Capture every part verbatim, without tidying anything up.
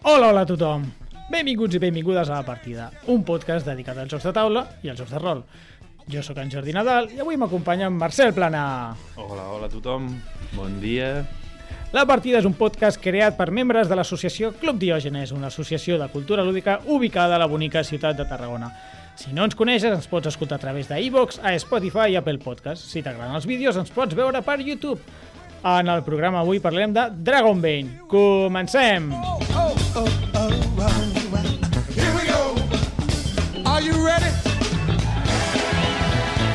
Hola, hola a tothom! Benvinguts i benvingudes a La Partida, un podcast dedicat als jocs de taula i als jocs de rol. Jo sóc en Jordi Nadal i avui m'acompanya en Marcel Plana. Hola, hola a tothom, bon dia. La Partida és un podcast creat per membres de l'associació Club Diògenes, una associació de cultura lúdica ubicada a la bonica ciutat de Tarragona. Si no ens coneixes, ens pots escoltar a través d'iVoox, a Spotify i Apple Podcast. Si t'agraden els vídeos, ens pots veure per YouTube. En el programa avui parlem de Dragonbane. Comencem! Oh, oh, oh, oh, oh, oh. Here we go. Are you ready?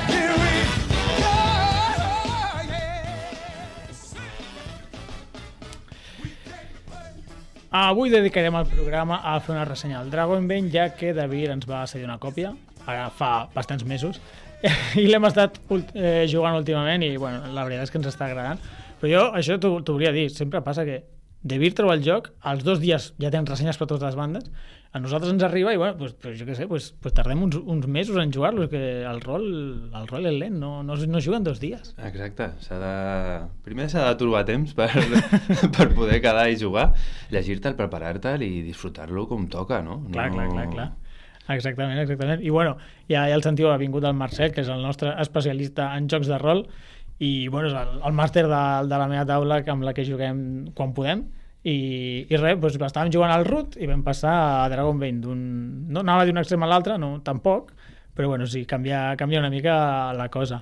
Here we go. Yeah. Avui dedicarem el programa a fer una ressenya del Dragonbane, ja que David ens va cedir una còpia, ara fa bastants mesos, i l'hem estat eh, jugant últimament i bueno, la veritat és que ens està agradant. Però jo, això t'ho volia dir, sempre passa que David troba el joc, als dos dies ja tens ressenyes per totes les bandes, a nosaltres ens arriba i bueno, pues, pues, jo què sé, pues, pues tardem uns, uns mesos en jugar-lo, que el rol, el rol és lent, no, no, no juguen dos dies. Exacte, s'ha de... primer s'ha de trobar temps per, per poder quedar i jugar, llegir-te'l, preparar-te'l i disfrutar-lo com toca, no? Clar, no... clar, clar, clar. Exactament, exactament. I bueno, ja, ja el sentiu, ha vingut el Marcel, que és el nostre especialista en jocs de rol, i bueno, és el, el màster de, de la meva taula amb la que juguem quan podem, i, i res, doncs estàvem jugant al Root i vam passar a Dragonbane d'un... no anava d'un extrem a l'altre, no, tampoc, però bueno, sí, canvia, canvia una mica la cosa.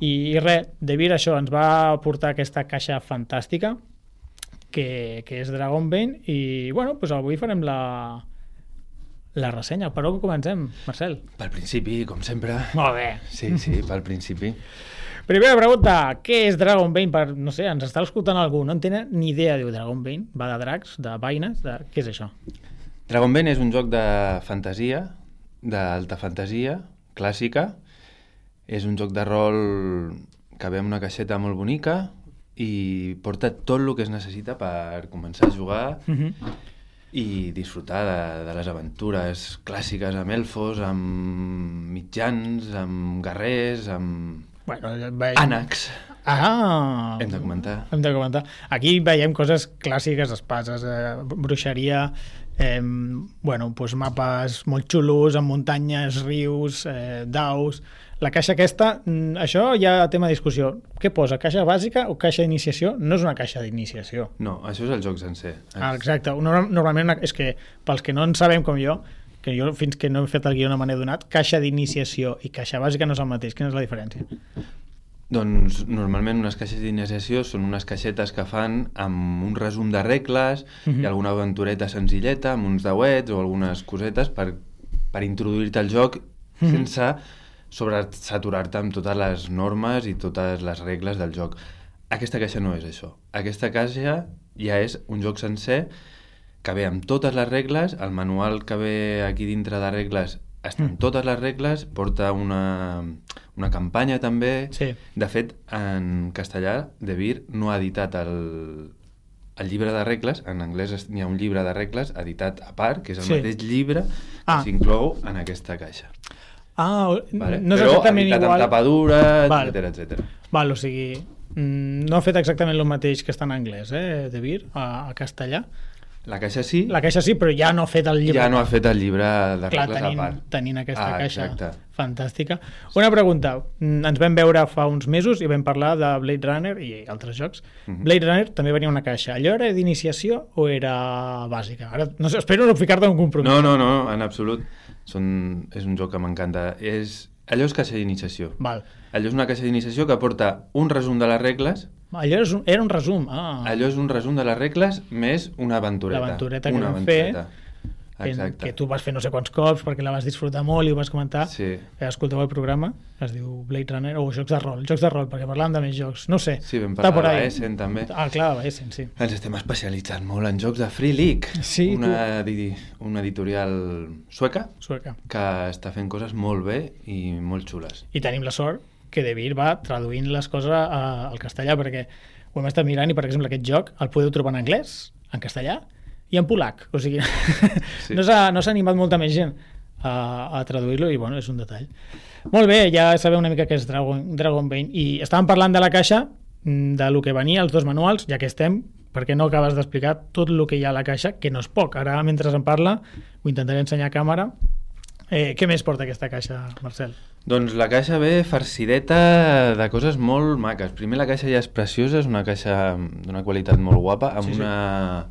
I, i res, David això ens va portar aquesta caixa fantàstica que, que és Dragonbane i bueno, doncs avui farem la la ressenya. Per on comencem, Marcel? Pel principi, com sempre. Molt bé. Sí, sí, pel principi. Primera pregunta, què és Dragonbane? Per, no sé, ens està escoltant algú, no en tenen ni idea, diu Dragonbane, va de dracs, de vaines, de... què és això? Dragonbane és un joc de fantasia, d'alta fantasia, clàssica. És un joc de rol que ve amb una caixeta molt bonica i porta tot el que es necessita per començar a jugar uh-huh. i disfrutar de, de les aventures clàssiques amb elfos, amb mitjans, amb guerrers, amb... Bueno, veiem... ànecs. Ah! Hem de comentar. Hem de comentar. Aquí veiem coses clàssiques, espases, eh, bruixeria, eh, bueno, pues mapes molt xulos, amb muntanyes, rius, eh, daus... La caixa aquesta, això ja tema de discussió. Què posa, caixa bàsica o caixa d'iniciació? No és una caixa d'iniciació. No, això és el joc sencer. Ah, exacte. Normalment una, és que pels que no en sabem com jo, que jo fins que no he fet el guió no me n'he donat, caixa d'iniciació i caixa bàsica no és el mateix. Quina és la diferència? Doncs normalment unes caixes d'iniciació són unes caixetes que fan amb un resum de regles uh-huh. i alguna aventureta senzilleta, amb uns deuets o algunes cosetes per, per introduir-te al joc uh-huh. sense sobresaturar-te amb totes les normes i totes les regles del joc. Aquesta caixa no és això. Aquesta caixa ja és un joc sencer que ve amb totes les regles, el manual que ve aquí dintre de regles està amb totes les regles, porta una, una campanya també. Sí. De fet, en castellà, De Vir no ha editat el, el llibre de regles, en anglès hi ha un llibre de regles editat a part, que és el sí. mateix llibre que ah. s'inclou en aquesta caixa. Ah, vale. no és però exactament igual. Però amb tapadura, etcètera, etcètera. Val, o sigui, no ha fet exactament el mateix que està en anglès, eh, De Vir, a, a castellà. La caixa sí. La caixa sí, però ja no ha fet el llibre. Ja no ha fet el llibre de Clar, regles tenint, a part. tenint aquesta ah, caixa exacte. fantàstica. Una pregunta, ens vam veure fa uns mesos i vam parlar de Blade Runner i altres jocs. Uh-huh. Blade Runner també venia una caixa. Allò era d'iniciació o era bàsica? Ara, no sé, espero no ficar-te en un compromís. No, no, no, en absolut. Són, és un joc que m'encanta. És, allò és caixa d'iniciació. Val. Allò és una caixa d'iniciació que porta un resum de les regles. Allò era un, era un resum. Ah. Allò és un resum de les regles més una aventureta. L'aventureta que una vam aventureta. fer. Exacte. Que tu vas fer no sé quants cops perquè la vas disfrutar molt i ho vas comentar. Sí. Que escolteu el programa, es diu Blade Runner, o Jocs de Rol, Jocs de Rol, perquè parlàvem de més jocs. No sé. Sí, vam parlar de Essen també. Ah, clar, de Essen, sí. Ens estem especialitzant molt en jocs de Free League. Sí, una, edi una editorial sueca, sueca que està fent coses molt bé i molt xules. I tenim la sort que De Vir va traduint les coses a, al castellà, perquè ho hem estat mirant i, per exemple, aquest joc el podeu trobar en anglès, en castellà i en polac. O sigui, sí. no s'ha no s'ha animat molta més gent a, a traduir-lo i, bueno, és un detall. Molt bé, ja sabeu una mica què és Dragon, Dragonbane. I estàvem parlant de la caixa, de lo que venia, els dos manuals, ja que estem, perquè no acabes d'explicar tot el que hi ha a la caixa, que no és poc. Ara, mentre em parla, ho intentaré ensenyar a càmera. Eh, què més porta aquesta caixa, Marcel? Doncs la caixa ve farcideta de coses molt maques. Primer, la caixa ja és preciosa, és una caixa d'una qualitat molt guapa, amb, sí, sí. una,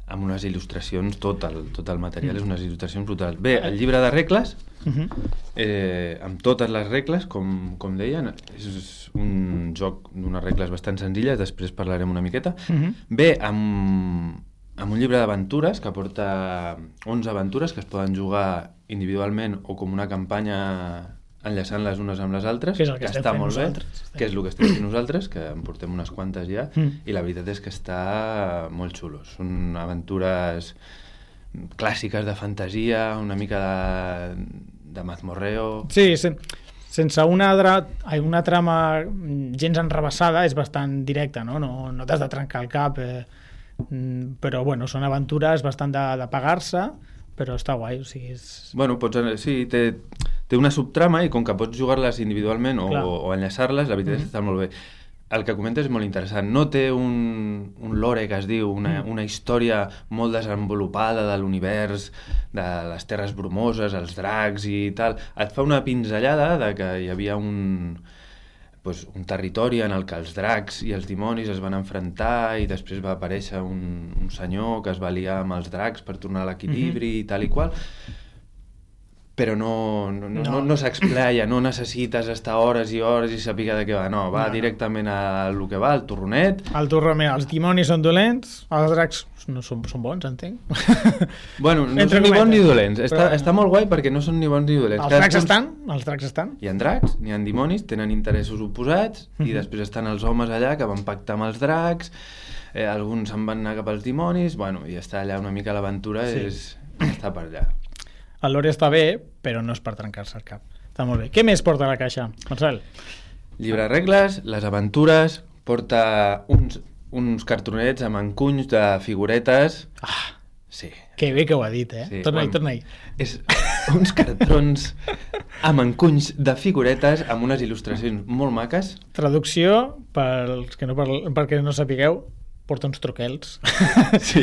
amb unes il·lustracions, tot el, tot el material mm. és unes il·lustracions brutals. Bé, el llibre de regles, uh-huh. eh, amb totes les regles, com, com deien, és un joc d'unes regles bastant senzilles, després parlarem una miqueta. Uh-huh. Bé, amb, amb un llibre d'aventures que porta onze aventures que es poden jugar individualment o com una campanya enllaçant-les unes amb les altres, que, que, que està molt bé, que és el que estem fent nosaltres, que en portem unes quantes ja, mm. i la veritat és que està molt xulo. Són aventures clàssiques de fantasia, una mica de, de mazmorreo... Sí, sen, sense una, dra, una trama gens enrebaçada, és bastant directa, no? No, no t'has de trencar el cap, eh, però bueno, són aventures bastant de, de pagar-se, però està guai, o sigui... És... Bueno, pots, sí, té, té una subtrama i com que pots jugar-les individualment o, o enllaçar-les, la veritat mm-hmm. està molt bé. El que comentes és molt interessant. No té un, un lore, que es diu, una, mm. una història molt desenvolupada de l'univers, de les terres bromoses, els dracs i tal. Et fa una pinzellada de que hi havia un... Pues, un territori en el que els dracs i els dimonis es van enfrontar i després va aparèixer un, un senyor que es va liar amb els dracs per tornar a l'equilibri mm-hmm. i tal i qual, però no, no, no, no. no s'explaya, no necessites estar hores i hores i saber de què va, no, va no. directament a lo que va, al torronet. El torronet, els dimonis són dolents, els dracs no són, són bons, entenc. Bueno, no Entre són ni bons ni dolents, però... està, està molt guai perquè no són ni bons ni dolents. Els dracs estan, els dracs estan. Hi ha dracs, n'hi ha dimonis, tenen interessos oposats, mm-hmm. i després estan els homes allà que van pactar amb els dracs, eh, alguns se'n van anar cap als dimonis, bueno, i està allà una mica l'aventura, sí. és, està per allà. El lore està bé, però no és per trencar-se el cap. Està molt bé. Què més porta la caixa, Marcel? Llibre de regles, les aventures, porta uns, uns cartronets amb encunys de figuretes. Ah, sí. Que bé que ho ha dit, eh? Sí, torna-hi, bueno, torna-hi. És uns cartrons amb encunys de figuretes amb unes il·lustracions molt maques. Traducció, pels que no, perquè no sapigueu, porta uns truquels. Sí.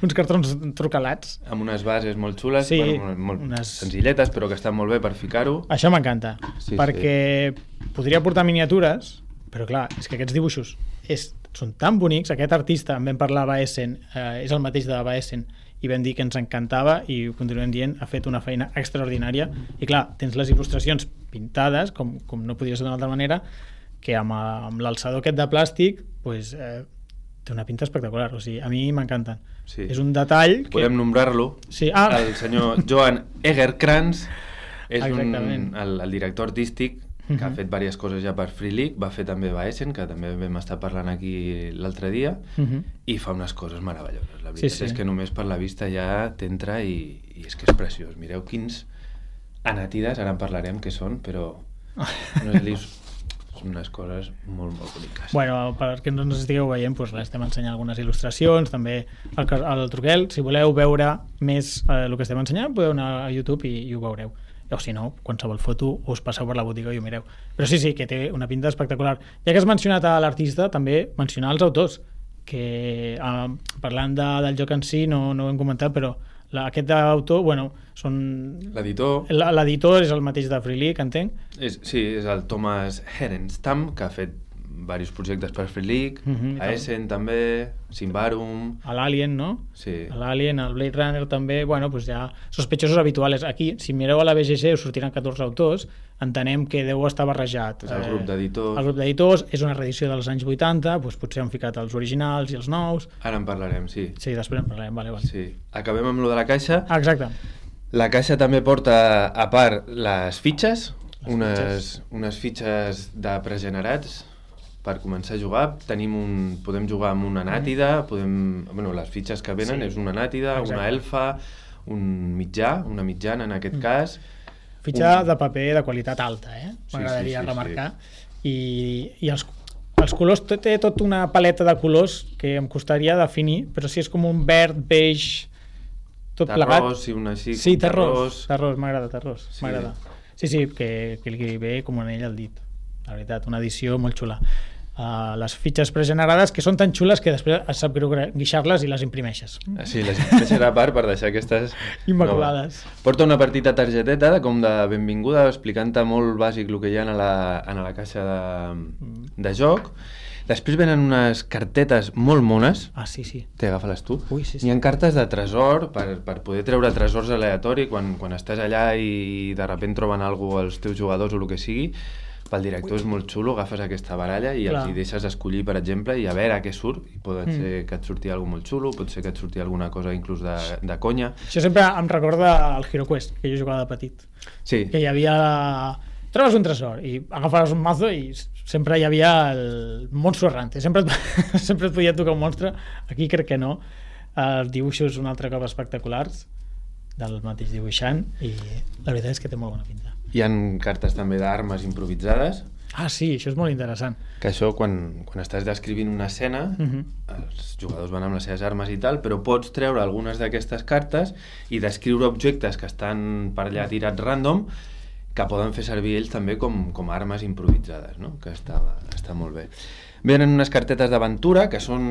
Uns cartrons trucalats. Amb unes bases molt xules, sí, bueno, molt unes... senzilletes, però que estan molt bé per ficar-ho. Això m'encanta, sí, perquè sí. podria portar miniatures, però clar, és que aquests dibuixos és, són tan bonics. Aquest artista, en vam parlar a Essen, eh, és el mateix de Essen, i vam dir que ens encantava, i ho continuem dient, ha fet una feina extraordinària. I clar, tens les il·lustracions pintades, com, com no podria ser d'una altra manera, que amb, amb l'alçador aquest de plàstic, pues, eh, té una pinta espectacular, o sigui, a mi m'encanten. Sí. És un detall que... Podem nombrar-lo. Sí. Ah. El senyor Johan Egerkrans és un, el, el director artístic que uh-huh. ha fet diverses coses ja per Free League, va fer també a Essen, que també vam estar parlant aquí l'altre dia, uh-huh. i fa unes coses meravelloses. La veritat sí, sí. és que només per la vista ja t'entra i, i és que és preciós. Mireu quins anàtides, ara en parlarem què són, però no és unes coses molt, molt boniques. Bueno, perquè no ens estigueu veient, doncs estem ensenyant algunes il·lustracions, també el, el truquel. Si voleu veure més eh, el que estem ensenyant, podeu anar a YouTube i, i ho veureu. O si no, qualsevol foto us passeu per la botiga i ho mireu. Però sí, sí, que té una pinta espectacular. Ja que has mencionat a l'artista, també mencionar els autors, que eh, parlant de, del joc en si no, no ho hem comentat, però la, aquest autor, bueno, són... L'editor... L'editor és el mateix de Free League, entenc? És, sí, és el Thomas Herenstam, que ha fet diversos projectes per Free League, uh-huh, a Essen també, Simbarum... A l'Alien, no? Sí. A l'Alien, al Blade Runner també, bueno, pues ja sospechosos habituals. Aquí, si mireu a la B G G, us sortiran catorze autors, entenem que deu estar barrejat. És el grup d'editors. El grup d'editors, és una reedició dels anys vuitanta, doncs potser han ficat els originals i els nous. Ara en parlarem, sí. Sí, després en parlarem, vale, vale. Sí. Acabem amb lo de la caixa. Ah, exacte. La caixa també porta, a part, les fitxes, les unes, fitxes. unes fitxes de pregenerats, per començar a jugar. Tenim un, podem jugar amb una nàtida, podem, bueno, les fitxes que venen sí. és una nàtida, exacte. Una elfa, un mitjà, una mitjana en aquest mm. cas. Fitxa un... de paper de qualitat alta, eh? M'agradaria sí, sí, sí, remarcar. Sí. I, i els, els colors, té tota una paleta de colors que em costaria definir, però si és com un verd, beix, tot plegat. Terrós, sí, una així. Sí, terrós, terrós, m'agrada, terrós, sí. m'agrada. Sí, sí, que, que li ve com un anell al dit. La veritat, una edició molt xula. uh, les fitxes pregenerades, que són tan xules que després es sap greu guixar-les i les imprimeixes. Sí, les imprimeixes a part per deixar aquestes... Immaculades. No. Porta una petita targeteta de, com de benvinguda, explicant-te molt bàsic el que hi ha a la, a la caixa de, de joc. Després venen unes cartetes molt mones. Ah, sí, sí. Té, agafa-les tu. Ui, sí, sí. Hi ha cartes de tresor per, per poder treure tresors aleatori quan, quan estàs allà i de sobte troben alguna cosa els teus jugadors o el que sigui. Pel director Ui. És molt xulo, agafes aquesta baralla i Clar. Els hi deixes escollir, per exemple, i a veure què surt. I pot mm. ser que et surti alguna molt xulo, pot ser que et surti alguna cosa inclús de, de conya. Això sempre em recorda el Hero Quest, que jo jugava de petit. Sí. Que hi havia... Trobes un tresor i agafaves un mazo i sempre hi havia el monstro errante. Sempre et, sempre et podia tocar un monstre. Aquí crec que no. Els dibuixos un altre cop espectaculars del mateix dibuixant i la veritat és que té molt bona pinta. Hi ha cartes també d'armes improvisades. Ah, sí, això és molt interessant. Que això, quan, quan estàs descrivint una escena, uh-huh. els jugadors van amb les seves armes i tal, però pots treure algunes d'aquestes cartes i descriure objectes que estan per allà tirats random que poden fer servir ells també com, com armes improvisades, no? Que està, està molt bé. Venen unes cartetes d'aventura, que són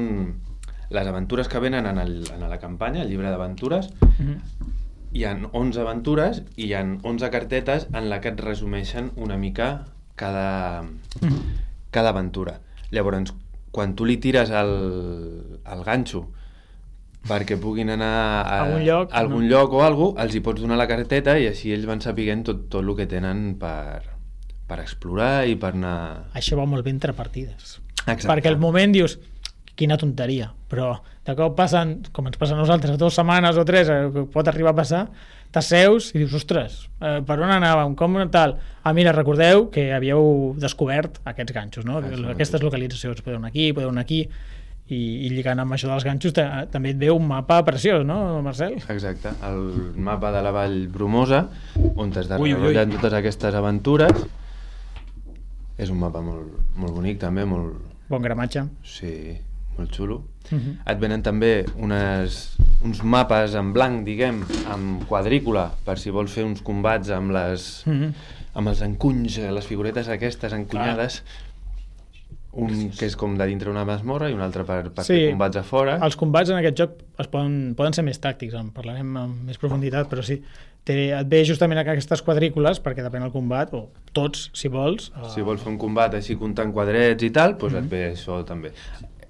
les aventures que venen en, el, en la campanya, el llibre d'aventures. Uh-huh. Hi ha onze aventures i hi ha onze cartetes en la que et resumeixen una mica cada, uh-huh. cada aventura. Llavors, quan tu li tires el, el ganxo perquè puguin anar a algun lloc, a algun no? lloc o alguna cosa, els hi pots donar la carteta i així ells van sapiguent tot, tot el que tenen per, per explorar i per anar... Això va molt bé entre partides. Exacte. Perquè al moment dius, quina tonteria, però de cop passen, com ens passa a nosaltres, dues setmanes o tres, que pot arribar a passar, t'asseus i dius, ostres, eh, per on anàvem, com tal? Ah, mira, recordeu que havíeu descobert aquests ganxos, no? Ah, aquestes localitzacions, podeu anar aquí, podeu anar aquí, i, i lligant amb això dels ganxos també et ve un mapa preciós, no, Marcel? Exacte, el mapa de la Vall Bromosa, on es desenvolupen totes aquestes aventures. És un mapa molt, molt bonic també, molt... Bon gramatge. Sí, molt xulo. Uh-huh. Et venen també unes, uns mapes en blanc, diguem, amb quadrícula, per si vols fer uns combats amb les uh-huh. amb els encunys, les figuretes aquestes encunyades. Ah. Un que és com de dintre una masmorra i un altre per, per sí, fer combats a fora. Els combats en aquest joc es poden, poden ser més tàctics, en parlarem amb més profunditat, però sí, té, et ve justament aquestes quadrícules perquè depèn del combat, o tots, si vols. Si vols fer un combat així comptant quadrets i tal, doncs mm-hmm. et ve això també.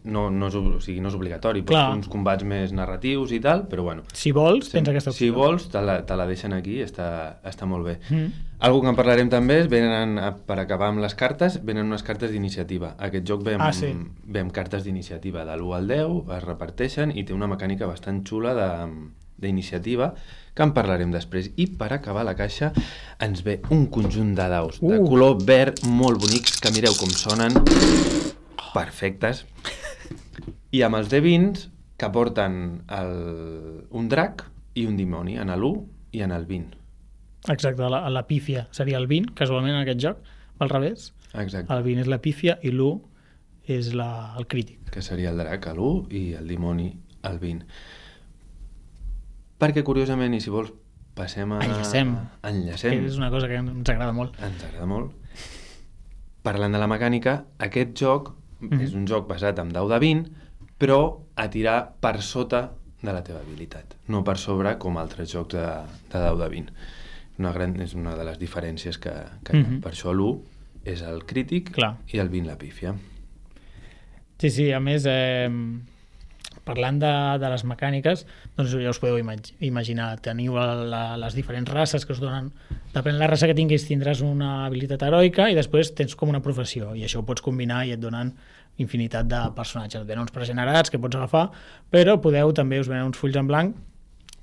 No, no, és, o sigui, no és obligatori, pots fer uns combats més narratius i tal, però bueno. Si vols, tens aquesta opció. Si vols, te la, te la deixen aquí, està, està molt bé. Mm. Algo que en parlarem també és, venen, per acabar amb les cartes, venen unes cartes d'iniciativa. Aquest joc ve amb, ah, sí. ve amb cartes d'iniciativa de l'u al deu, es reparteixen i té una mecànica bastant xula de, d'iniciativa, que en parlarem després. I per acabar la caixa ens ve un conjunt de daus uh. de color verd molt bonics, que mireu com sonen, perfectes. I amb els D vint que porten el, un drac i un dimoni, en l'u i en el vint. Exacte, la, la pífia seria el vint, casualment en aquest joc, al revés. Exacte. El vint és la pífia i l'u és la, el crític. Que seria el drac a l'u i el dimoni al vint. Perquè curiosament, i si vols, passem a... Enllacem. Enllacem. Que és una cosa que ens agrada molt. Ens agrada molt. Parlant de la mecànica, aquest joc mm-hmm. és un joc basat en dau de vint, però a tirar per sota de la teva habilitat, no per sobre com altres jocs de, de dau de vint. Una gran, és una de les diferències que, que mm-hmm. per això l'u és el crític Clar. I el vint la pífia. Sí, sí, a més, eh, parlant de, de les mecàniques, doncs ja us podeu imag imaginar, teniu la, les diferents races que us donen, depèn de la raça que tinguis tindràs una habilitat heroica i després tens com una professió, i això ho pots combinar i et donen infinitat de personatges. Et venen uns pregenerats que pots agafar, però podeu també, us venen uns fulls en blanc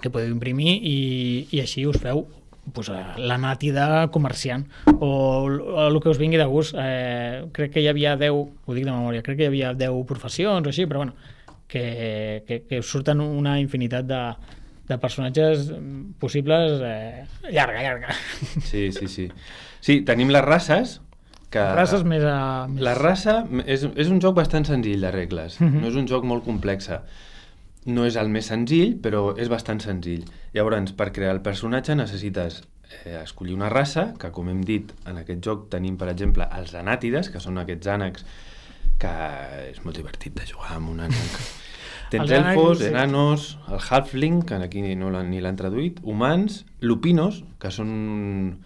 que podeu imprimir i, i així us feu pues, la nati de comerciant o, o el que us vingui de gust. Eh, crec que hi havia deu, ho dic de memòria, crec que hi havia deu professions o així, però bueno, que, que, que us surten una infinitat de, de personatges possibles eh, llarga, llarga. Sí, sí, sí. Sí, tenim les races, que races més a... Més... La raça és, és un joc bastant senzill de regles, uh-huh. no és un joc molt complex. No és el més senzill, però és bastant senzill. Llavors, per crear el personatge necessites eh, escollir una raça, que com hem dit, en aquest joc tenim, per exemple, els anàtides, que són aquests ànecs que és molt divertit de jugar amb un ànec. Tens Els ànecs, elfos, sí. enanos, el halfling, que aquí no l'han, ni l'han traduït, humans, lupinos, que són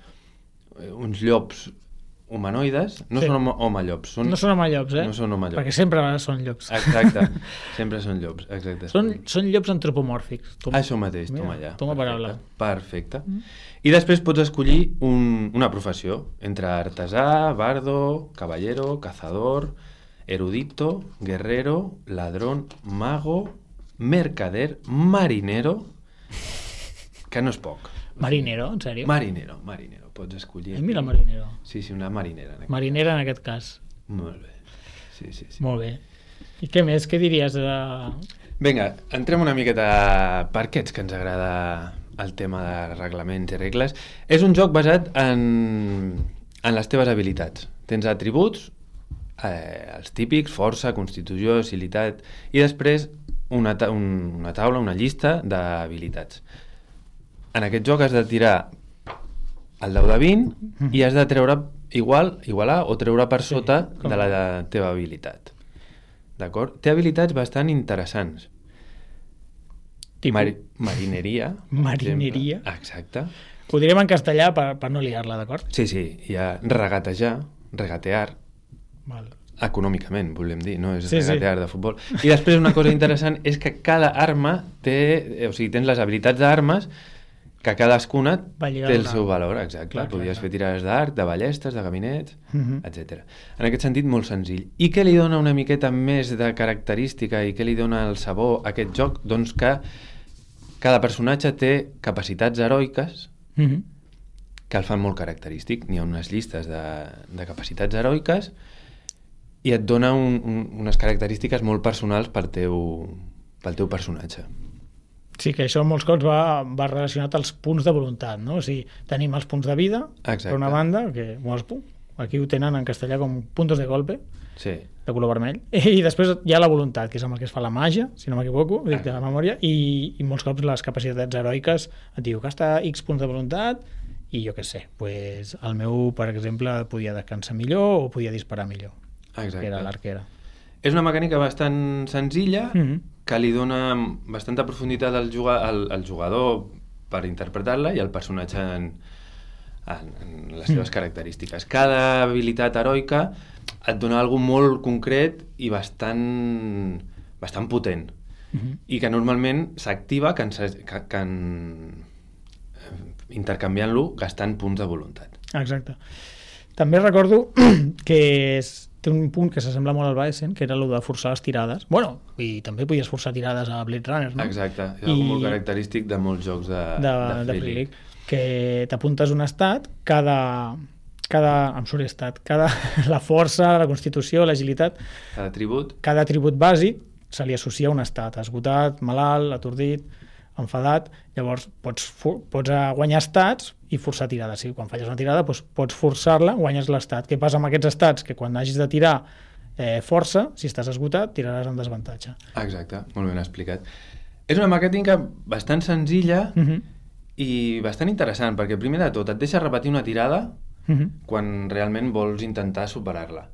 uns llops humanoides, no Sí. són home, home-llops. Són, No són homellops, eh? No són homellops. Perquè sempre són llops. Exacte, sempre són llops, exacte. Són, són llops antropomòrfics. Toma. Això mateix, Mira, toma allà. toma paraula. Perfecte. I després pots escollir un, una professió, entre artesà, bardo, caballero, cazador, erudito, guerrero, ladrón, mago, mercader, marinero, que no és poc. Marinero, en sèrio? Marinero, marinero, pots escollir. Ai, mira, marinero. Sí, sí, una marinera. En aquest... Marinera en aquest cas. Molt bé. Sí, sí, sí. Molt bé. I què més? Què diries de... Vinga, entrem una miqueta per què ets que ens agrada el tema de reglaments i regles. És un joc basat en, en les teves habilitats. Tens atributs, eh, els típics, força, constitució, agilitat, i després una, ta un, una taula, una llista d'habilitats. En aquest joc has de tirar el dau de vint i has de treure igual, igualar o treure per sota com... de la teva habilitat. D'acord? Té habilitats bastant interessants. Tipus? Mari marineria. Marineria. Exemple. Exacte. Ho direm en castellà per, per no liar-la, d'acord? Sí, sí. Hi ha regatejar, regatear, Val. econòmicament, volem dir, no és Sí, regatear sí. de futbol. I després una cosa interessant és que cada arma té, o sigui, tens les habilitats d'armes que cadascuna Va lligar té el una- seu valor, exacte. Clar, clar, Podries clar. fer tirades d'arc, de ballestes, de gabinets, Mhm. etcètera. En aquest sentit, molt senzill. I què li dona una miqueta més de característica i què li dona el sabor a aquest joc? Doncs que cada personatge té capacitats heroiques Mhm. que el fan molt característic. N'hi ha unes llistes de, de capacitats heroiques i et dona un, un, unes característiques molt personals per teu, pel teu personatge. Sí, que això molts cops va, va relacionat als punts de voluntat, no? O sigui, tenim els punts de vida, Exacte. per una banda, que molts, aquí ho tenen en castellà com puntos de golpe, Sí, de color vermell, i després hi ha la voluntat, que és amb el que es fa la màgia, si no m'equivoco, dic de la memòria, i, i molts cops les capacitats heroiques et diu que està X punts de voluntat, i jo què sé, pues, el meu, per exemple, podia descansar millor o podia disparar millor, exacte. que era l'arquera. És una mecànica bastant senzilla, Mm -hmm. que li dona bastanta profunditat al, juga, al, al jugador per interpretar-la i al personatge en, en, en les seves Mm. característiques. Cada habilitat heroica et dona alguna molt concret i bastant, bastant potent. Mm -hmm. I que normalment s'activa que, que, que en, eh, intercanviant-lo gastant punts de voluntat. Exacte. També recordo que és, té un punt que s'assembla molt al Baesen, que era el de forçar les tirades. Bueno, i també podies forçar tirades a Blade Runner, no? Exacte, és I... I... molt característic de molts jocs de, de, de, de Free Free League. League, que t'apuntes un estat, cada, cada, em surt estat, cada, la força, la constitució, l'agilitat, Cada tribut, cada atribut bàsic se li associa un estat, esgotat, malalt, atordit, enfadat, llavors pots, pots guanyar estats i forçar tirades. Sí, quan falles una tirada doncs pots forçar-la, guanyes l'estat. Què passa amb aquests estats? Que quan hagis de tirar eh, força, si estàs esgotat, tiraràs en desavantatge. exacte, molt ben explicat. És una mecànica bastant senzilla Uh -huh. i bastant interessant, perquè primer de tot et deixa repetir una tirada Uh -huh. quan realment vols intentar superar-la.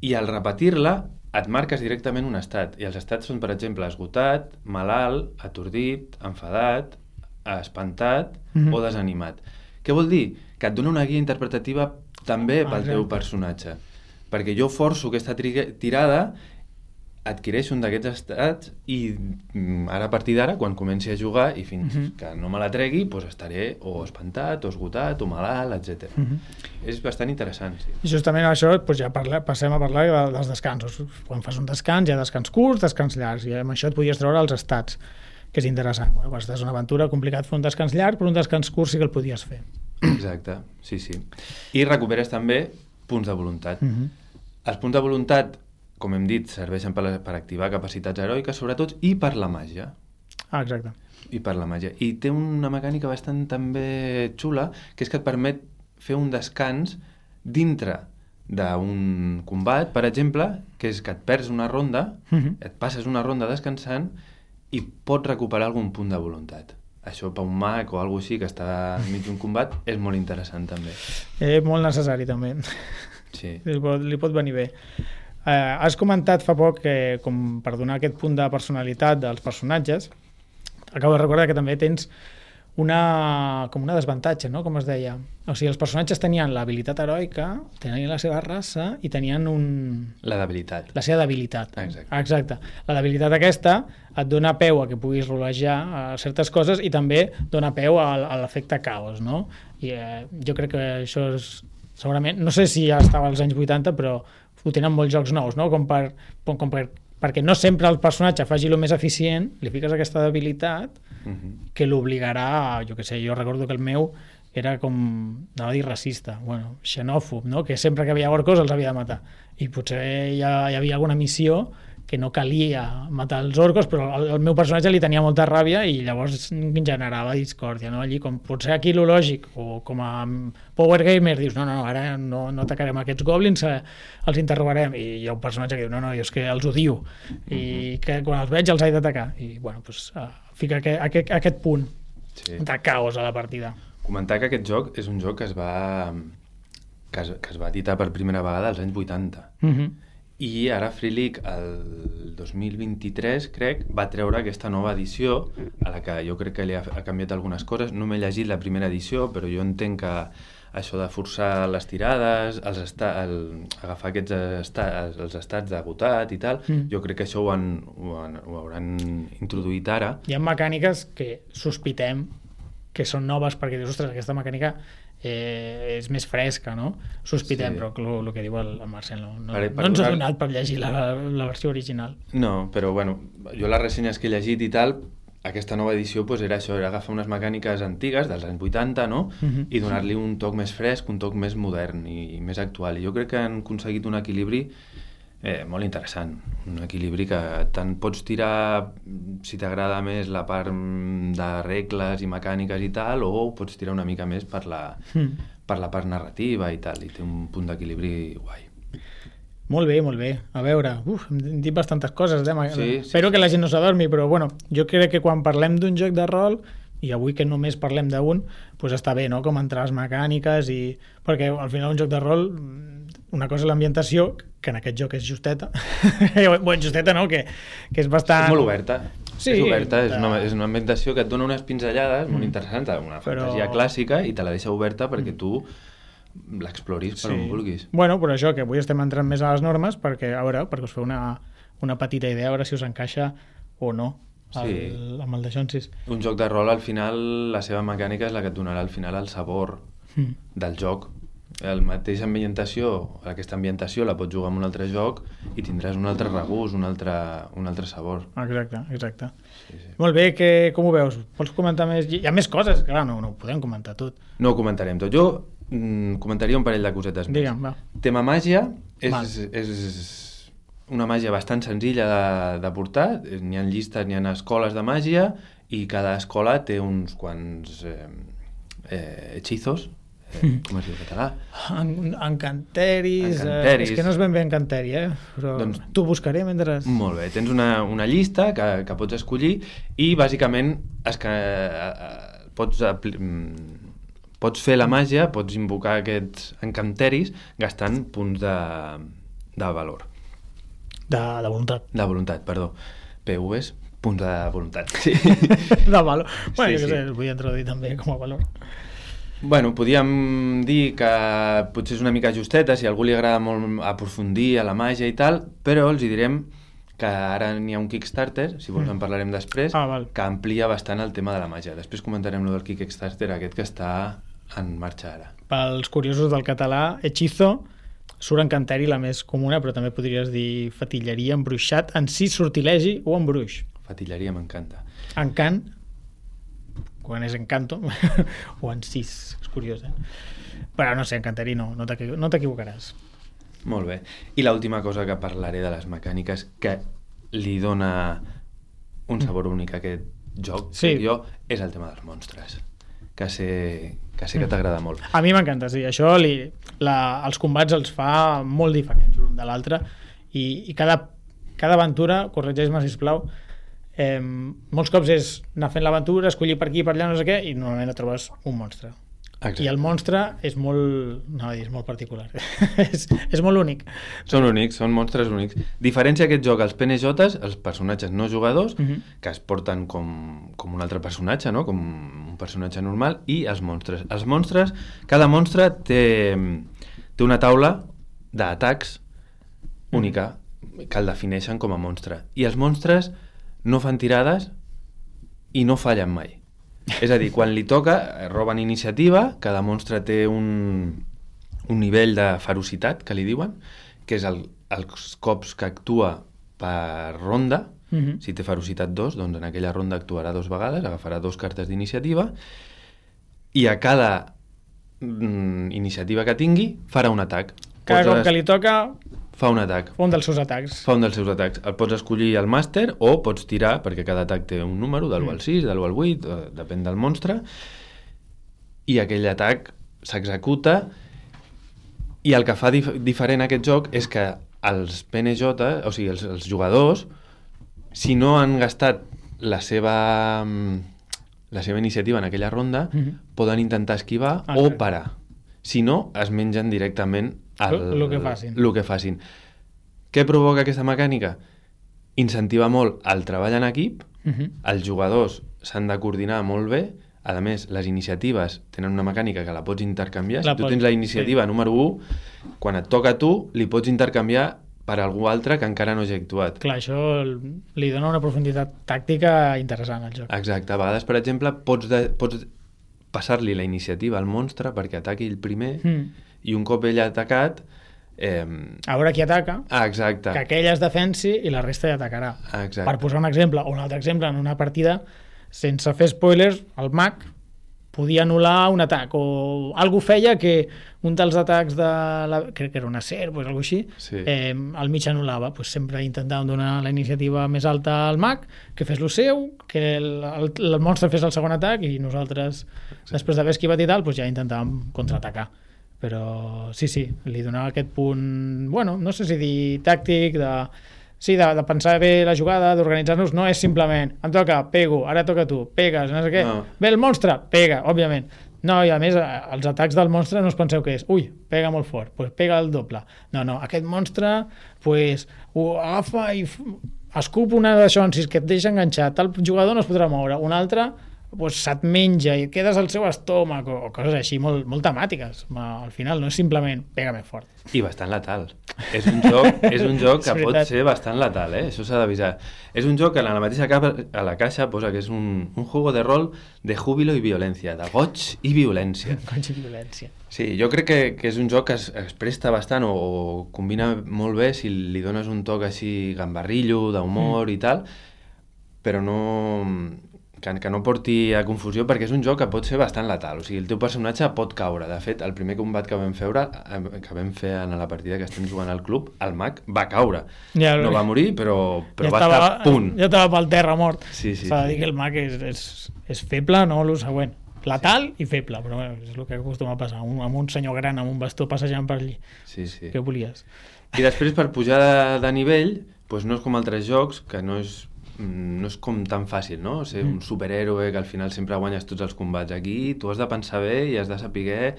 I al repetir-la et marques directament un estat, i els estats són, per exemple, esgotat, malalt, atordit, enfadat, espantat Mhm. o desanimat. Què vol dir? Que et dona una guia interpretativa també pel Exacte. teu personatge. Perquè jo forço aquesta tirada, adquireixo un d'aquests estats i mm, ara a partir d'ara, quan comenci a jugar i fins Mhm. que no me la tregui, doncs estaré o espantat, o esgotat, o malalt, etcètera. Uh -huh. És bastant interessant, sí. I justament això doncs ja parla, passem a parlar de, dels descansos. Quan fas un descans hi ha descans curts, descans llargs, i amb això et podies treure els estats, que és interessant. Bueno, quan estàs en una aventura, complicat fer un descans llarg, però un descans curt sí que el podies fer. Exacte, sí, sí. I recuperes també punts de voluntat. Uh -huh. Els punts de voluntat, com hem dit, serveixen per, per activar capacitats heroiques, sobretot, i per la màgia. Ah, exacte. I per la màgia. I té una mecànica bastant també xula, que és que et permet fer un descans dintre d'un combat, per exemple, que és que et perds una ronda, Uh -huh. et passes una ronda descansant i pots recuperar algun punt de voluntat. Això per un mag o alguna així que està enmig d'un combat és molt interessant també. Eh, molt necessari també. Sí. Li pot, li pot venir bé. Eh, has comentat fa poc que, com per donar aquest punt de personalitat dels personatges, acabo de recordar que també tens una, com una desavantatge, no? Com es deia. O sigui, els personatges tenien l'habilitat heroica, tenien la seva raça i tenien un... La debilitat. La seva debilitat. Exacte. Exacte. La debilitat aquesta et dona peu a que puguis rolejar a certes coses i també dona peu a, a l'efecte caos, no? I eh, jo crec que això és... Segurament, no sé si ja estava als anys vuitanta, però ho tenen molts jocs nous, no? Com per... Com per perquè no sempre el personatge faci el més eficient, li fiques aquesta debilitat uh-huh. que l'obligarà, jo què sé, jo recordo que el meu era com, anava a dir racista, bueno, xenòfob, no? Que sempre que havia orcos els havia de matar. I potser ja hi havia alguna missió que no calia matar els orcos, però el, el meu personatge li tenia molta ràbia i llavors generava discòrdia, no? Allí, com potser aquí lo lògic, o com a Power Gamer, dius, no, no, ara no, no atacarem aquests goblins, eh, els interrogarem, i hi ha un personatge que diu, no, no, jo és que els odio, i que quan els veig els he d'atacar, i bueno, doncs uh, fica aquest, aquest, aquest punt sí. de caos a la partida. Comentar que aquest joc és un joc que es va que es, que es va editar per primera vegada als anys vuitanta. Mhm. I ara Free League, el dos mil vint-i-tres, crec, va treure aquesta nova edició, a la que jo crec que li ha, ha canviat algunes coses. No m'he llegit la primera edició, però jo entenc que això de forçar les tirades, els esta, el, agafar aquests esta, els estats d'agotat i tal, mm. jo crec que això ho, han, ho, han, ho hauran introduït ara. Hi ha mecàniques que sospitem que són noves perquè dius, ostres, aquesta mecànica eh, és més fresca, no? Sospitem, sí. Però el que diu el, el Marcel no, no, per, per no ens ha donat per llegir la, la versió original. No, però bueno, jo les ressenyes que he llegit i tal, aquesta nova edició pues, era això, era agafar unes mecàniques antigues dels anys vuitanta, no? Uh-huh. I donar-li un toc més fresc, un toc més modern i, i més actual. I jo crec que han aconseguit un equilibri Eh, molt interessant, un equilibri que tant pots tirar si t'agrada més la part de regles i mecàniques i tal, o pots tirar una mica més per la, mm. per la part narrativa i tal, i té un punt d'equilibri guai. Molt bé, molt bé. A veure, uf, hem dit bastantes coses, eh? Sí, espero sí, que la gent no s'adormi, però bueno, jo crec que quan parlem d'un joc de rol, i avui que només parlem d'un, doncs està bé, no?, com entrar les mecàniques, i perquè al final un joc de rol, una cosa és l'ambientació, que en aquest joc és justeta, bueno, justeta no, que, que és bastant... És molt oberta, sí, és oberta, és una, és una ambientació que et dona unes pinzellades mm. molt interessants, una fantasia però... clàssica, i te la deixa oberta perquè tu l'exploris per sí. on vulguis. Bueno, però això, que avui estem entrant més a les normes, perquè, a veure, perquè us feu una, una petita idea, a veure si us encaixa o no. El, sí. amb el de Xonsis. Un joc de rol, al final, la seva mecànica és la que et donarà al final el sabor mm. del joc. La mateixa ambientació, aquesta ambientació la pots jugar en un altre joc i tindràs un altre regust, un altre, un altre sabor. Exacte, exacte. Sí, sí. Molt bé, que, com ho veus? Pots comentar més? Hi ha més coses, clar, no, no ho podem comentar tot. No ho comentarem tot. Jo mm, comentaria un parell de cosetes més. Digue'm, va. Tema màgia, és, és una màgia bastant senzilla de, de portar, n'hi ha llistes, n'hi ha escoles de màgia i cada escola té uns quants eh, eh, hechizos, eh, com es diu en català? En, encanteris, encanteris. Eh, és que no és ben bé encanteri, eh? Però doncs, t'ho buscaré mentre... Molt bé, tens una, una llista que, que pots escollir i bàsicament es que, eh, pots, pots fer la màgia, pots invocar aquests encanteris gastant punts de, de valor. De, de voluntat. De voluntat, perdó. P Vs, punts de voluntat. Sí. De valor. Bueno, sí, jo què sé, sí. els vull introduir també com a valor. Bueno, podríem dir que potser és una mica justeta, si a algú li agrada molt aprofundir a la màgia i tal, però els hi direm que ara n'hi ha un Kickstarter, si vols en parlarem després, ah, que amplia bastant el tema de la màgia. Després comentarem lo del Kickstarter aquest que està en marxa ara. Pels curiosos del català, hechizo surt encanteri la més comuna, però també podries dir fatilleria, embruixat, encís, sortilegi o embruix. Fatilleria m'encanta. Encant, quan és encanto, o encís, és curiós, eh? Però no sé, encanteri no, no t'equivocaràs. Molt bé. I l'última cosa que parlaré de les mecàniques que li dona un sabor únic a aquest joc, sí. jo, és el tema dels monstres, que sé que, sé que t'agrada molt. A mi m'encanta, sí. Això li, la, els combats els fa molt diferents l'un de l'altre i, i cada, cada aventura, corregeix-me sisplau, eh, molts cops és anar fent l'aventura, escollir per aquí, per allà, no sé què, i normalment et trobes un monstre. Exacte. I el monstre és molt... No, és molt particular. és, és molt únic. Són únics, són monstres únics. Diferència aquest joc, els P N Js, els personatges no jugadors, Mhm. que es porten com, com un altre personatge, no? Com un personatge normal, i els monstres. Els monstres, cada monstre té, té una taula d'atacs única, que el defineixen com a monstre. I els monstres no fan tirades i no fallen mai. És a dir, quan li toca, roben iniciativa, cada monstre té un, un nivell de ferocitat, que li diuen, que és el, els cops que actua per ronda. Mhm. Si té ferocitat dos, doncs en aquella ronda actuarà dos vegades, agafarà dos cartes d'iniciativa, i a cada mm, iniciativa que tingui farà un atac. Cada Pots cop es- que li toca, fa un atac. fa un dels seus atacs. Fa un dels seus atacs. El pots escollir al màster o pots tirar, perquè cada atac té un número, de l'u al sis, de l'u al vuit, eh, depèn del monstre, i aquell atac s'executa, i el que fa dif diferent aquest joc és que els P N J, o sigui, els, els jugadors, si no han gastat la seva, mm, la seva iniciativa en aquella ronda, Mhm. poden intentar esquivar Ah, o clar. parar. Si no, es mengen directament el, Lo que facin. Lo que facin. Què provoca aquesta mecànica? Incentiva molt el treball en equip, Mhm. els jugadors s'han de coordinar molt bé, a més, les iniciatives tenen una mecànica que la pots intercanviar. La si tu pots- tens la iniciativa sí. número u, quan et toca a tu, li pots intercanviar per algú altre que encara no hagi actuat. Clar, això li dona una profunditat tàctica interessant al joc. Exacte. A vegades, per exemple, pots, de, pots passar-li la iniciativa al monstre perquè ataqui el primer, Mm. i un cop ell ha atacat... Eh... A veure qui ataca, Ah, exacte. que aquell es defensi i la resta ja atacarà. Exacte. Per posar un exemple, o un altre exemple, en una partida, sense fer spoilers, el mag podia anul·lar un atac, o algú feia que un dels atacs de la, crec que era una serp o alguna així, Sí. eh, al mig anul·lava. Pues sempre intentàvem donar la iniciativa més alta al mag, que fes lo seu, que el, el, el monstre fes el segon atac, i nosaltres, Exacte. després d'haver esquivat i tal, pues ja intentàvem contraatacar. Però sí, sí, li donava aquest punt, bueno, no sé si dir tàctic, de, sí, de, de pensar bé la jugada, d'organitzar-nos, no és simplement, em toca, pego, ara toca tu, pegues, no sé què, No. ve el monstre, pega, òbviament. No, i a més, eh, els atacs del monstre no us penseu que és, ui, pega molt fort, doncs pega el doble. No, no, aquest monstre, pues, ho agafa i f- escup una d'això, si és que et deixa enganxat, el jugador no es podrà moure, un altre pues, se't menja i et quedes al seu estómac, o, o coses així molt, molt temàtiques. Ma, al final no és simplement pega més fort. I bastant letal. És un joc, és un joc que És pot veritat. ser bastant letal, eh? Això s'ha d'avisar. És un joc que a la mateixa capa, a la caixa posa que és un, un juego de rol de júbilo i violència, de goig i violència. Goig i violència. Sí, jo crec que, que és un joc que es, es presta bastant o, o combina molt bé si li dones un toc així gambarrillo, d'humor mm. i tal, però no... Que, que no porti a confusió, perquè és un joc que pot ser bastant letal. O sigui, el teu personatge pot caure. De fet, el primer combat que vam fer, que vam fer en la partida que estem jugant al club, el mag va caure. Ja, no va morir, però, però ja va estava, estar a punt. Ja estava pel terra mort. Sí, sí, S'ha de sí. dir que el mag és, és, és feble, no el següent. Letal i feble, però bueno, és el que acostuma a passar. Un, amb un senyor gran amb un bastó passejant per allí. Sí, sí. Què volies? I després, per pujar de, de nivell, doncs no és com altres jocs, que no és no és com tan fàcil, no? Ser un superhéroe que al final sempre guanyes tots els combats. Aquí tu has de pensar bé i has de saber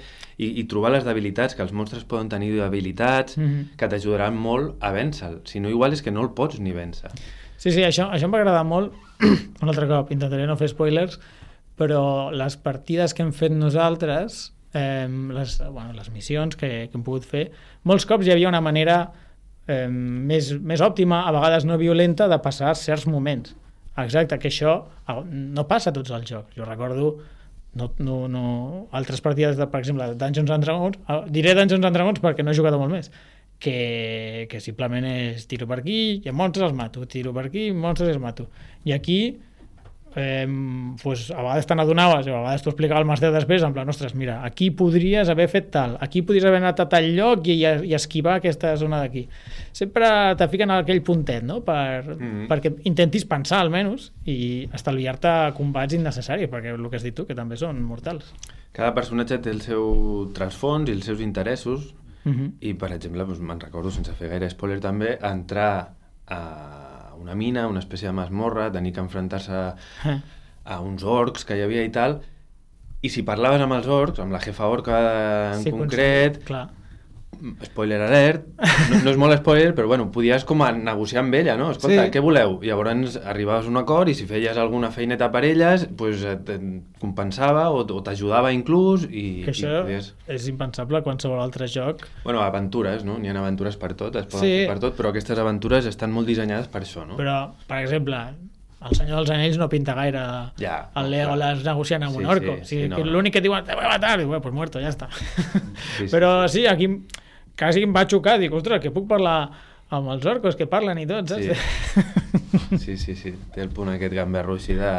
i, i trobar les debilitats, que els monstres poden tenir debilitats, Mhm. que t'ajudaran molt a vèncer-lo. Si no, igual és que no el pots ni vèncer. Sí, sí, això, això em va agradar molt. Un altre cop, intentaré no fer spoilers, però les partides que hem fet nosaltres, eh, les, bueno, les missions que, que hem pogut fer, molts cops hi havia una manera eh, més, més òptima, a vegades no violenta, de passar certs moments. Exacte, que això no passa a tots els jocs. Jo recordo no, no, no, altres partides, de, per exemple, de Dungeons and Dragons, eh, diré Dungeons and Dragons perquè no he jugat molt més, que, que simplement és tiro per aquí i monstres els mato, tiro per aquí monstres els mato. I aquí eh, pues, a vegades te n'adonaves o a vegades t'ho explicava el màster després en plan, ostres, mira, aquí podries haver fet tal, aquí podries haver anat a tal lloc i, i esquivar aquesta zona d'aquí. Sempre te fiquen aquell puntet, no? Per, Mhm. perquè intentis pensar almenys i estalviar-te combats innecessaris, perquè el que has dit tu, que també són mortals. Cada personatge té el seu trasfons i els seus interessos, Mhm. i per exemple, doncs, me'n recordo, sense fer gaire spoiler també, entrar a una mina, una espècie de masmorra, tenir que enfrontar-se Eh. a uns orcs que hi havia i tal, I si parlaves amb els orcs, amb la jefa orca en Sí, concret, clar. spoiler alert, no, no és molt spoiler, però bueno, podies com a negociar amb ella, no? Escolta, Sí. què voleu? Llavors arribaves a un acord i si feies alguna feineta per elles, pues, et, et compensava o, o t'ajudava inclús i, Que això i podies... és impensable a qualsevol altre joc. Bueno, aventures, no? N'hi ha aventures per tot, es poden Sí. fer per tot, però aquestes aventures estan molt dissenyades per això, no? Però, per exemple, el Senyor dels Anells no pinta gaire Ja, el Legolas negociant amb Sí, un orco. sí, o sigui, sí, no, que no. l'únic que diuen, te voy a matar, diu, bueno, pues muerto, ja està. sí, Però sí, aquí quasi em va xocar, dic, ostres, que puc parlar amb els orcos que parlen i tot, saps? Sí. Sí, sí, sí, té el punt aquest gamberro així de...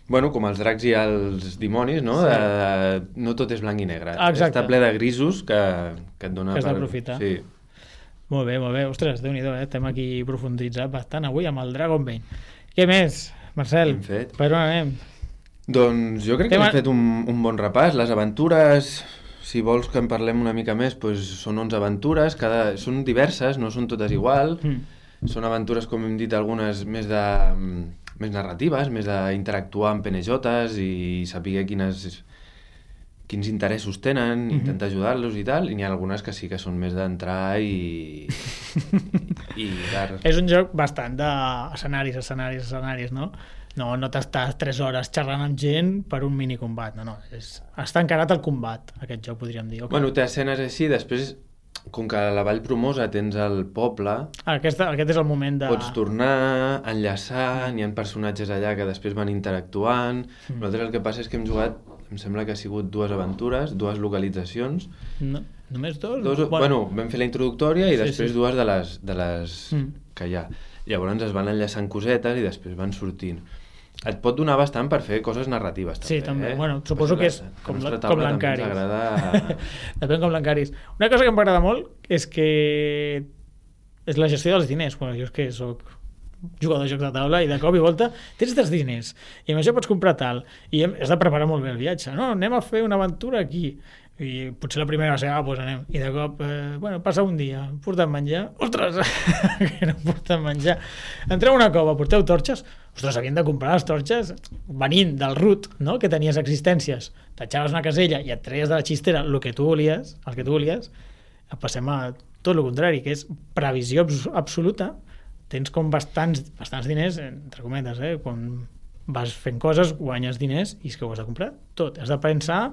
Bueno, com els dracs i els dimonis, no? Sí. De, de... No tot és blanc i negre. Exacte. Està ple de grisos que, que et dona... Que has d'aprofitar. Sí. Molt bé, molt bé. Ostres, Déu-n'hi-do, eh? Estem aquí profunditzat bastant avui amb el Dragonbane. Què més, Marcel? Ben fet. Per on anem? Doncs jo crec que Tema- hem fet un, un bon repàs. Les aventures, si vols que en parlem una mica més, doncs són onze aventures, cada... són diverses, no són totes igual. Mm. Són aventures, com hem dit, algunes més de més narratives, més d'interactuar amb penejotes i saber quines, quins interessos tenen, Mhm. intentar ajudar-los i tal, i n'hi ha algunes que sí que són més d'entrar i... i dar... És un joc bastant d'escenaris, escenaris, escenaris, no? No, no t'estàs tres hores xerrant amb gent per un minicombat, no, no. És... Està encarat al combat, aquest joc, podríem dir. Okay. Bueno, té escenes així, després, com que a la Vall Promosa tens el poble, Aquesta, aquest és el moment de... pots tornar, enllaçar, n'hi ha personatges allà que després van interactuant. Mm. Nosaltres el que passa és que hem jugat, em sembla que ha sigut dues aventures, dues localitzacions. No, només dos? Dos, bueno, vam fer la introductòria i Sí, després sí. dues de les, de les Mm. que hi ha. Llavors es van enllaçant cosetes i després van sortint. Et pot donar bastant per fer coses narratives, també. Sí, també. Eh? Bueno, suposo Per que això és la- com la nostra la- taula com també l'encaris. ens agrada... Depèn com l'encaris. Una cosa que em agrada molt és que és la gestió dels diners. Bueno, jo és que soc jugador de jocs de taula i de cop i volta tens tres diners i amb això pots comprar tal i hem- has de preparar molt bé el viatge. No, anem a fer una aventura aquí i potser la primera va ser, ah, doncs anem. I de cop, eh, bueno, passa un dia, portem menjar. Ostres, que no portem menjar. Entreu a una cova, porteu torxes. Ostres, havien de comprar les torxes venint del root, no?, que tenies existències. T'atxaves una casella i et treies de la xistera el que tu volies, el que tu volies. Passem a tot el contrari, que és previsió abs absoluta. Tens com bastants, bastants diners, entre cometes, eh? Quan vas fent coses, guanyes diners i és que ho has de comprar tot. Has de pensar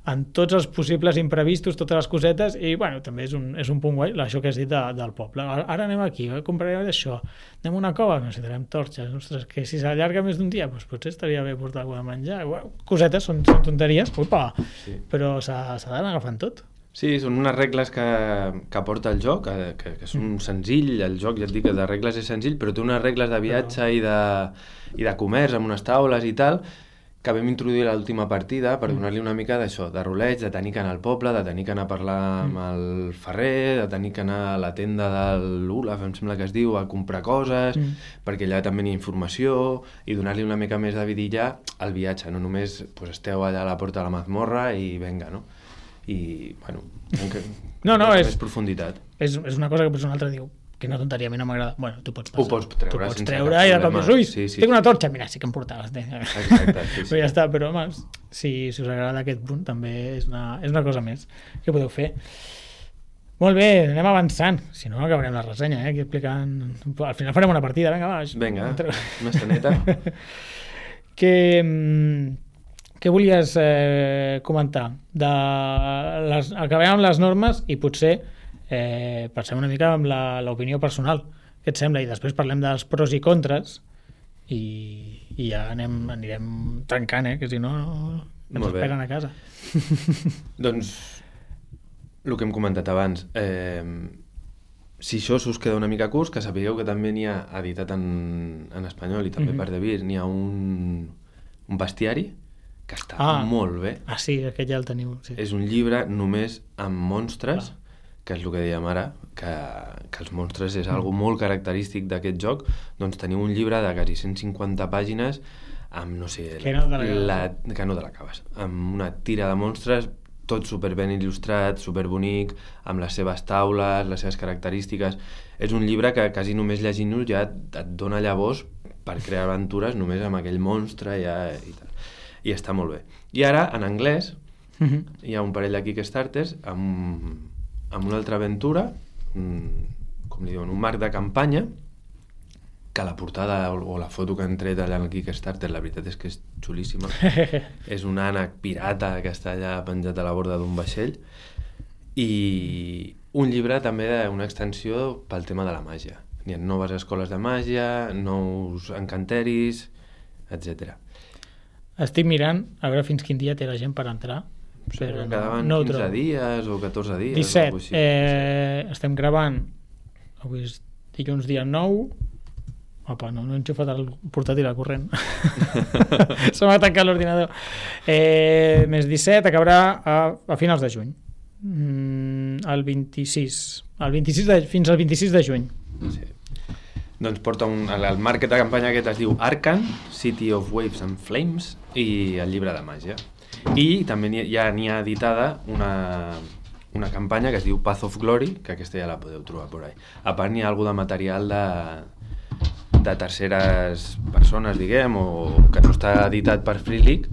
en tots els possibles imprevistos, totes les cosetes, i bueno, també és un, és un punt guai, això que has dit de, del poble. Ara, ara anem aquí, eh? Comprarem això, anem a una cova, necessitarem torxes, ostres, que si s'allarga més d'un dia, doncs potser estaria bé portar alguna de menjar. Bueno, cosetes, són, són tonteries, upa, Sí. però s'ha d'anar agafant tot. Sí, són unes regles que, que porta el joc, que, que, que són senzill, el joc ja et dic que de regles és senzill, però té unes regles de viatge i de, i de comerç amb unes taules i tal, que vam introduir a l'última partida per donar-li una mica d'això, de roleig, de tenir que anar al poble, de tenir que anar a parlar amb el ferrer, de tenir que anar a la tenda de l'Olaf, em sembla que es diu, a comprar coses, Mm. perquè allà també hi ha informació, i donar-li una mica més de vidilla al viatge, no només pues, esteu allà a la porta de la mazmorra i venga, no? I, bueno, que, No, no, és- més profunditat. És, és una cosa que potser un altre diu, que no tonteria, a mi no m'agrada. Bueno, tu pots Ho passar. pots treure tu pots sense treure cap i de cop problema. dius, ui, Sí, sí, tinc sí. una torxa, mira, sí que em portaves. Exacte, sí, sí. Però ja està, però home, si, si us agrada aquest punt també és una, és una cosa més que podeu fer. Molt bé, anem avançant. Si no, acabarem la ressenya, eh? Aquí explicant... Al final farem una partida, vinga, va. Vinga, Entre- una estaneta. que, mm, què volies eh, comentar? De les, acabem amb les normes i potser eh, passem una mica amb la- l'opinió personal. Què et sembla? I després parlem dels pros i contres i, i ja anem, anirem trencant, eh? Que si no, ens Molt bé. esperen a casa. Doncs, el que hem comentat abans, eh, si això us queda una mica curs, que sapigueu que també n'hi ha editat en, en espanyol i també Mhm. per Devir, n'hi ha un, un bestiari que està Ah. molt bé. Ah, sí, aquest ja el teniu. Sí. És un llibre només amb monstres, Clar. que és el que dèiem ara, que, que els monstres és algo molt característic d'aquest joc, doncs teniu un llibre de quasi cent cinquanta pàgines amb, no sé, Que no te l'acabes. la, que no te l'acabes, amb una tira de monstres, tot superben il·lustrat, superbonic, amb les seves taules, les seves característiques. És un llibre que quasi només llegint-lo ja et, et dona llavors per crear aventures només amb aquell monstre ja, i tal. i està molt bé. I ara, en anglès, Uh -huh. hi ha un parell de Kickstarters amb, amb una altra aventura, un, com li diuen, un marc de campanya, que la portada o, o la foto que han tret allà en el Kickstarter, la veritat és que és xulíssima. És un ànec pirata que està allà penjat a la borda d'un vaixell, i un llibre també d'una extensió pel tema de la màgia. Hi ha noves escoles de màgia, nous encanteris, etcètera. Estic mirant a veure fins quin dia té la gent per entrar. Però no, quedaven no quinze dies o catorze dies. disset. O eh, estem gravant, avui és dilluns dia nou. Opa, no, no he enxufat el portàtil al corrent. Se m'ha tancat l'ordinador. Eh, més disset, acabarà a, a finals de juny. Mm, el vint-i-sis. El vint-i-sis de, fins al vint-i-sis de juny. Sí. Doncs porta un, el, el marc de campanya aquest es diu Arcan, City of Waves and Flames, i el llibre de màgia. I també n'hi, ja n'hi ha editada una, una campanya que es diu Path of Glory, que aquesta ja la podeu trobar por ahí. A part n'hi ha alguna de material de, de terceres persones, diguem, o que no està editat per Free League.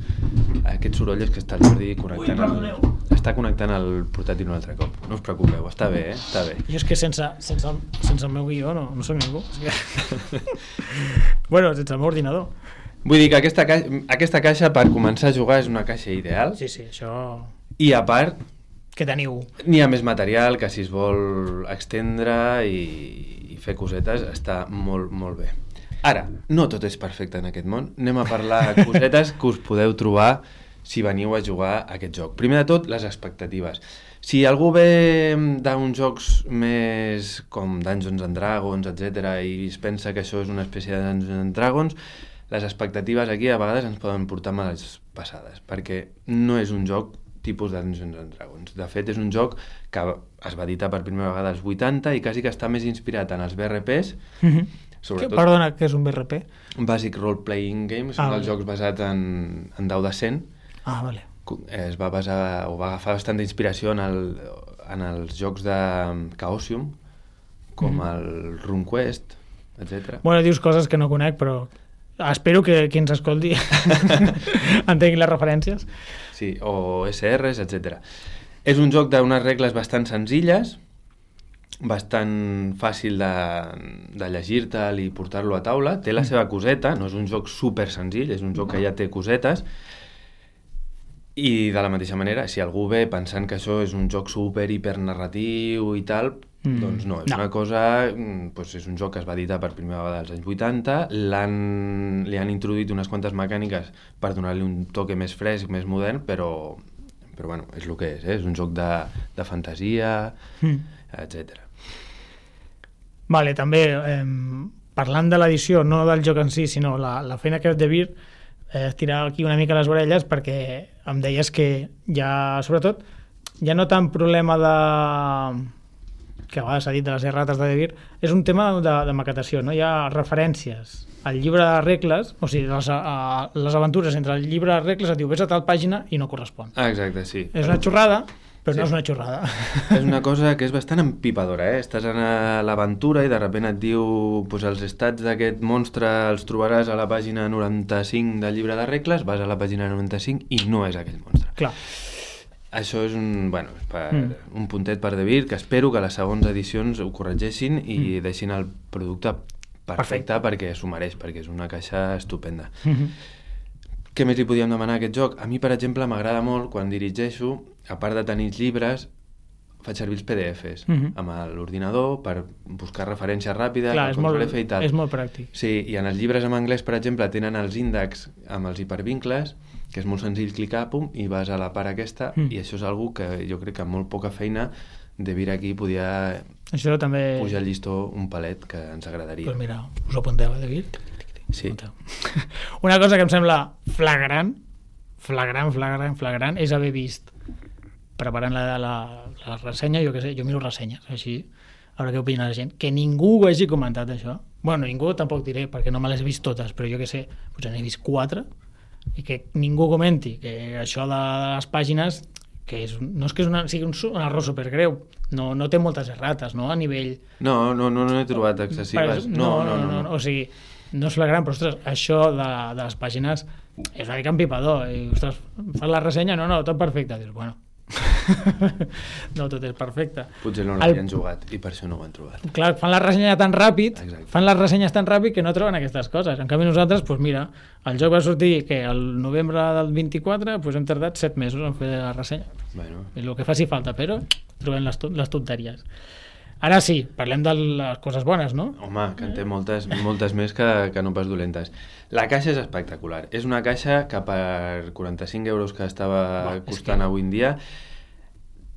Aquest soroll és que està el Jordi connectant el, està connectant el portàtil un altre cop. No us preocupeu, està bé, eh? Està bé. Jo és que sense, sense, sense el meu guió no, no soc ningú. O sigui... bueno, sense el meu ordinador. Vull dir que aquesta, ca... aquesta caixa per començar a jugar és una caixa ideal. Sí, sí, això... I a part... Que teniu. N'hi ha més material que si es vol extendre i, i fer cosetes està molt, molt bé. Ara, no tot és perfecte en aquest món. Anem a parlar de cosetes que us podeu trobar si veniu a jugar a aquest joc. Primer de tot, les expectatives. Si algú ve d'uns jocs més com Dungeons and Dragons, etcètera, i es pensa que això és una espècie de Dungeons and Dragons, les expectatives aquí a vegades ens poden portar males passades, perquè no és un joc tipus de Dungeons and Dragons. De fet, és un joc que es va editar per primera vegada als vuitanta i quasi que està més inspirat en els B R Ps. Mm-hmm. Sobretot, perdona, què és un B R P? Basic Role Playing Games, ah, són els jocs basats en, en dau de cent. Ah, vale. Es va basar, o va agafar bastant d'inspiració en, el, en els jocs de Chaosium, com mm. el RuneQuest, etcètera. Bueno, dius coses que no conec, però espero que qui ens escolti entengui les referències. Sí, o S Rs, etcètera. És un joc d'unes regles bastant senzilles, bastant fàcil de, de llegir-te'l i portar-lo a taula. Té la seva coseta, no és un joc super senzill, és un joc que ja té cosetes. I de la mateixa manera, si algú ve pensant que això és un joc super hipernarratiu i tal, mm. doncs no, és no. una cosa, doncs és un joc que es va editar per primera vegada als anys vuitanta, l'han, li han introduït unes quantes mecàniques per donar-li un toque més fresc, més modern, però, però bueno, és el que és, eh? És un joc de, de fantasia, mm. etcètera. Vale, també, eh, parlant de l'edició, no del joc en si, sinó la, la feina que has de dir, eh, tirar aquí una mica les orelles, perquè em deies que ja, sobretot, ja no tant problema de... que a vegades s'ha dit de les errates de Devir, és un tema de, de maquetació, no? Hi ha referències al llibre de regles, o sigui, les, a, les aventures entre el llibre de regles et diu, ves a tal pàgina i no correspon. Ah, exacte, sí. És una xorrada, però sí. no és una xorrada. És una cosa que és bastant empipadora, eh? Estàs en l'aventura i de sobte et diu pues, els estats d'aquest monstre els trobaràs a la pàgina noranta-cinc del llibre de regles, vas a la pàgina noranta-cinc i no és aquell monstre. Clar. Això és un, bueno, per, mm. un puntet per Devir, que espero que les segones edicions ho corregeixin i mm. deixin el producte perfecte, perfecte perquè s'ho mereix, perquè és una caixa estupenda. Mm-hmm. Què més li podíem demanar a aquest joc? A mi, per exemple, m'agrada molt quan dirigeixo, a part de tenir els llibres, faig servir els P D Fs mm-hmm. amb l'ordinador per buscar referència ràpida. Clar, és molt, i tal. És molt pràctic. Sí, i en els llibres en anglès, per exemple, tenen els índexs amb els hipervincles, que és molt senzill clicar, pum, i vas a la part aquesta, mm. i això és algo que jo crec que amb molt poca feina Devir aquí podia això també... pujar el llistó un palet que ens agradaria. Pues mira, us ho apunteu, eh, Devir? Sí. Una cosa que em sembla flagrant, flagrant, flagrant, flagrant, és haver vist, preparant la, la, la ressenya, jo què sé, jo miro ressenyes, així, a veure què opina la gent, que ningú ho hagi comentat, això. Bueno, ningú tampoc diré, perquè no me les he vist totes, però jo què sé, potser n'he vist quatre, i que ningú comenti que això de les pàgines, que és, no és que és una, sigui un, un error supergreu, no, no té moltes errates, no?, a nivell... No, no, no, no he trobat excessives. No, no, no, no, no, no. O sigui, no és flagrant, però ostres, això de, de les pàgines és una mica empipador. I, ostres, fas la ressenya, no, no, tot perfecte. Dius, bueno, no tot és perfecte. Potser no l'havien el... jugat i per això no ho han trobat. Clar, fan la ressenya tan ràpid, Exacte. fan les ressenyes tan ràpid que no troben aquestes coses. En canvi nosaltres, doncs mira, el joc va sortir que el novembre del vint-i-quatre, doncs hem tardat set mesos en fer la ressenya. Bueno. És el que faci falta, però trobem les, les tonteries. Ara sí, parlem de les coses bones, no? Home, que en té moltes, moltes més que, que no pas dolentes. La caixa és espectacular. És una caixa que per quaranta-cinc euros que estava Va, costant que... avui en dia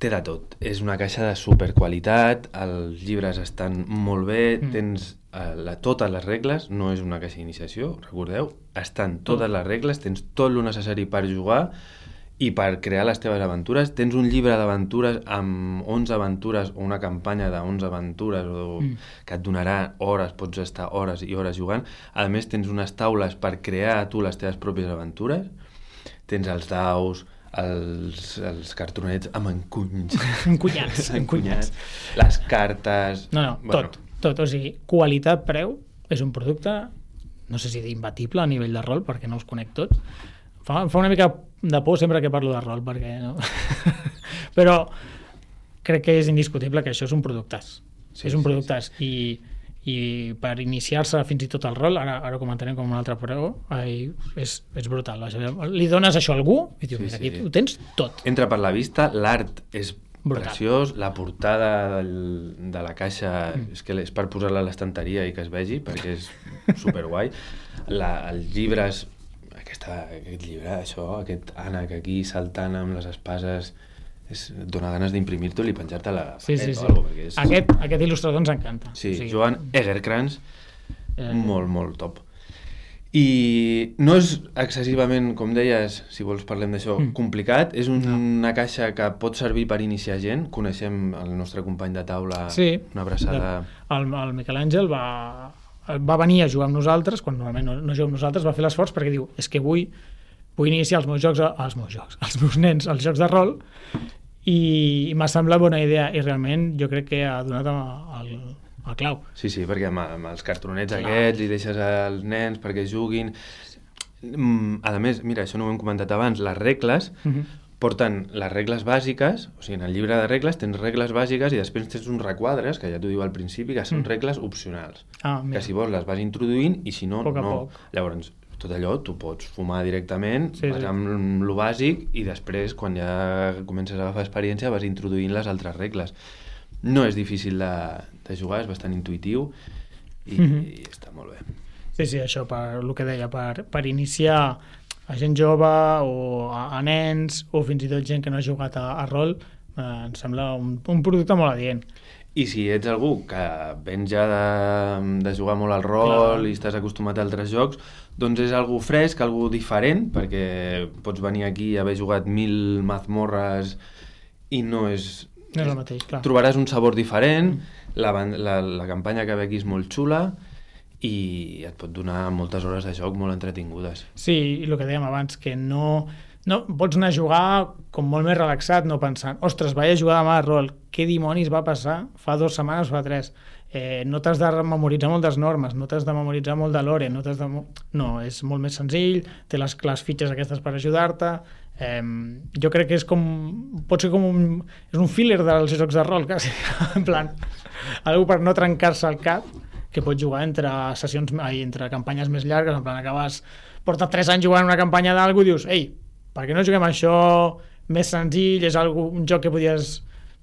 té de tot. És una caixa de superqualitat, els llibres estan molt bé, mm. tens eh, la, totes les regles, no és una caixa d'iniciació, recordeu, estan totes les regles, tens tot el necessari per jugar i per crear les teves aventures. Tens un llibre d'aventures amb onze aventures o una campanya d'onze aventures o mm. que et donarà hores, pots estar hores i hores jugant. A més, tens unes taules per crear tu les teves pròpies aventures. Tens els daus, els, els cartonets amb encunys. Encunyats. Encunyats. Les cartes... No, no, bueno. tot, tot. O sigui, qualitat-preu és un producte, no sé si d'imbatible a nivell de rol, perquè no els conec tots. Fa, fa una mica de por sempre que parlo de rol, perquè no? Però crec que és indiscutible que això és un productàs. Sí, és un productàs. Sí, sí. I, i per iniciar-se fins i tot al rol, ara, ara comentarem com un altre preu, és, és brutal. Li dones això a algú i dius, sí, mira, aquí sí. Ho tens tot. Entra per la vista, l'art és brutal. Preciós, la portada del, de la caixa mm. és, que és per posar-la a l'estanteria i que es vegi, perquè és superguai. La, els llibres... Aquesta, aquest llibre, això, aquest ànec aquí saltant amb les espases, és, et dona ganes d'imprimir-te i penjar-te a la sí, sí, sí. o alguna cosa. És... Aquest, aquest il·lustrador ens encanta. Sí, o sigui, Joan Egerkrans, eh... molt, molt top. I no és excessivament, com deies, si vols parlem d'això, mm. complicat. És un, no. una caixa que pot servir per iniciar gent. Coneixem el nostre company de taula, sí, una abraçada... El, el Miquel Àngel va... va venir a jugar amb nosaltres, quan normalment no, no juguem amb nosaltres, va fer l'esforç perquè diu, és que vull, vull iniciar els meus jocs, els meus jocs, els meus nens, els jocs de rol, i, i m'ha semblat bona idea, i realment jo crec que ha donat el, el clau. Sí, sí, perquè amb, amb els cartronets Clar. aquests li deixes als nens perquè juguin. A més, mira, això no ho hem comentat abans, les regles uh-huh. porten les regles bàsiques, o sigui, en el llibre de regles tens regles bàsiques i després tens uns requadres, que ja t'ho diu al principi, que són mm. regles opcionals. Ah, que si vols les vas introduint i si no, poc no. Poc. Llavors, tot allò tu pots fumar directament, sí, vas sí. amb lo bàsic i després, quan ja comences a agafar experiència, vas introduint les altres regles. No és difícil de, de jugar, és bastant intuïtiu i, mm-hmm. i està molt bé. Sí, sí, això, per el que deia, per, per iniciar a gent jove o a, a nens o fins i tot gent que no ha jugat a, a rol, eh, em sembla un, un producte molt adient. I si ets algú que vens ja de, de jugar molt al rol Clar. I estàs acostumat a altres jocs, doncs és algú fresc, algú diferent, perquè pots venir aquí i haver jugat mil mazmorres i no és... No és el mateix, clar. Trobaràs un sabor diferent, mm. la, la, la campanya que ve aquí és molt xula, i et pot donar moltes hores de joc molt entretingudes. Sí, i el que dèiem abans, que no, no pots anar a jugar com molt més relaxat, no pensant, ostres, vaig a jugar demà a rol, què dimonis va passar fa dues setmanes o fa tres? Eh, no t'has de memoritzar moltes normes, no t'has de memoritzar molt de lore, no t'has de... No, és molt més senzill, té les, les fitxes aquestes per ajudar-te, eh, jo crec que és com... pot ser com un... és un filler dels jocs de rol, quasi, en plan, algú per no trencar-se el cap, que pots jugar entre sessions, entre campanyes més llargues, en plan, acabes, porta tres anys jugant una campanya d'algú i dius, ei, per què no juguem això més senzill, és algú, un joc que podies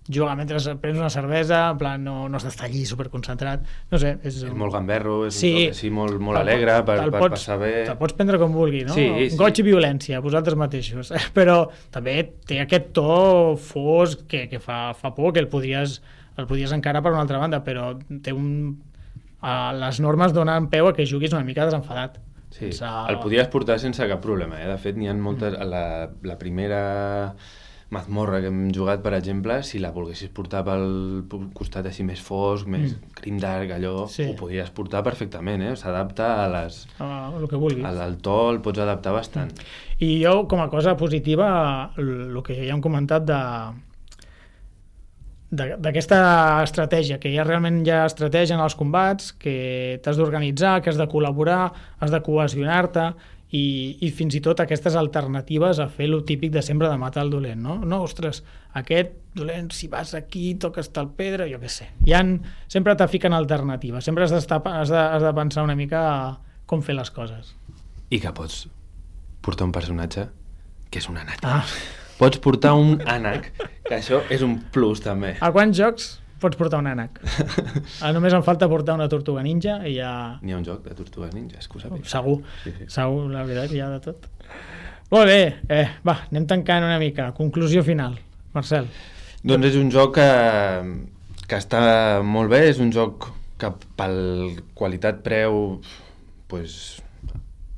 jugar mentre prens una cervesa, en plan, no, no has d'estar allí superconcentrat, no sé. És, és molt gamberro, és sí, un joc així molt, molt alegre per, per pots, passar bé. Te'l pots prendre com vulgui, no? Sí, sí. Goig i violència, vosaltres mateixos, però també té aquest to fosc que, que fa, fa por, que el podries, el podries encarar per una altra banda, però té un... Uh, les normes donen peu a que juguis una mica desenfadat. Sí, sense... el podies portar sense cap problema, eh? De fet, n'hi ha moltes... La, la primera mazmorra que hem jugat, per exemple, si la volguessis portar pel costat així més fosc, més mm. grimdark, allò, sí. Ho podies portar perfectament, eh? S'adapta a les... Uh, el que vulguis. Al, al to el pots adaptar bastant. Mm. I jo, com a cosa positiva, el que ja hem comentat de... d'aquesta estratègia, que ja realment hi ha estratègia en els combats, que t'has d'organitzar, que has de col·laborar, has de cohesionar-te, i, i fins i tot aquestes alternatives a fer lo típic de sempre de matar el dolent, no? No, ostres, aquest dolent, si vas aquí, toques tal pedra, jo què sé. Hi ha, sempre te fiquen alternatives, sempre has, has, de, has de pensar una mica com fer les coses. I que pots portar un personatge que és un ànec. Ah. Pots portar un ànec, que això és un plus també. A quants jocs pots portar un ànec? Ah, només em falta portar una tortuga ninja i ja... N'hi ha un joc de tortugues ninjas, que ho sàpiga. Segur, sí, sí. segur, la veritat, hi ha de tot. Molt bé, eh, va, anem tancant una mica. Conclusió final, Marcel. Doncs és un joc que, que està molt bé, és un joc que pel qualitat-preu pues,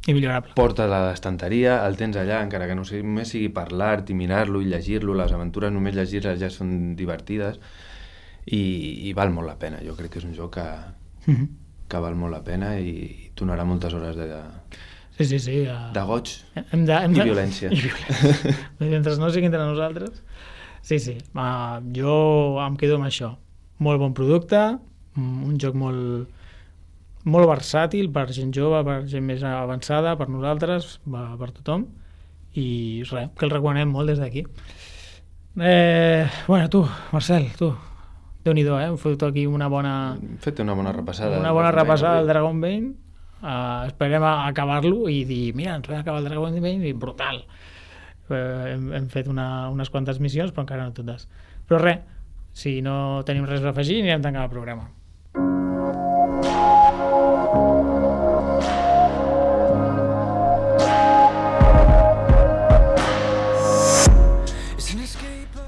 i millorable. Porta de l'estanteria, el tens allà, encara que no sigui, només sigui per l'art i mirar-lo i llegir-lo, les aventures només llegir-les ja són divertides. I, i val molt la pena, jo crec que és un joc que, mm-hmm. que val molt la pena i, i donarà moltes hores de, de, sí, sí, sí, uh... de goig hem de, hem i, de... violència. i violència. Mentre no sigui entre nosaltres. Sí, sí, uh, jo em quedo amb això. Molt bon producte, un joc molt, molt versàtil per gent jove, per gent més avançada, per nosaltres, per tothom, i res, que el recomanem molt des d'aquí. Eh, bueno, tu, Marcel, tu, Déu-n'hi-do, eh? Hem fet aquí una bona... Hem fet una bona repassada. Una bona repassada del Dragon Bane. Uh, esperem a acabar-lo i dir, mira, ens vam acabar el Dragon Bane i brutal. Uh, hem, hem fet una, unes quantes missions, però encara no totes. Però res, si no tenim res a afegir, anirem tancant el programa.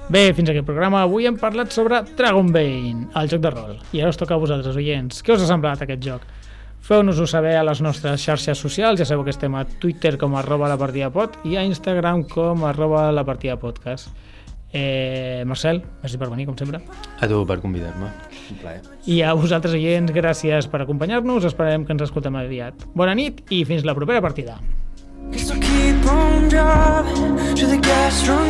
Bé, fins aquí el programa. Avui hem parlat sobre Dragon Bane, el joc de rol. I ara us toca a vosaltres, oients. Què us ha semblat aquest joc? Feu-nos-ho saber a les nostres xarxes socials. Ja sabeu que estem a Twitter com arroba la partida pod i a Instagram com arroba la partida podcast. Eh, Marcel, merci per venir, com sempre. A tu per convidar-me. Un plaer. I a vosaltres, oients, gràcies per acompanyar-nos. Esperem que ens escoltem aviat. Bona nit i fins la propera partida. Guess I'll keep on driving to the gas strung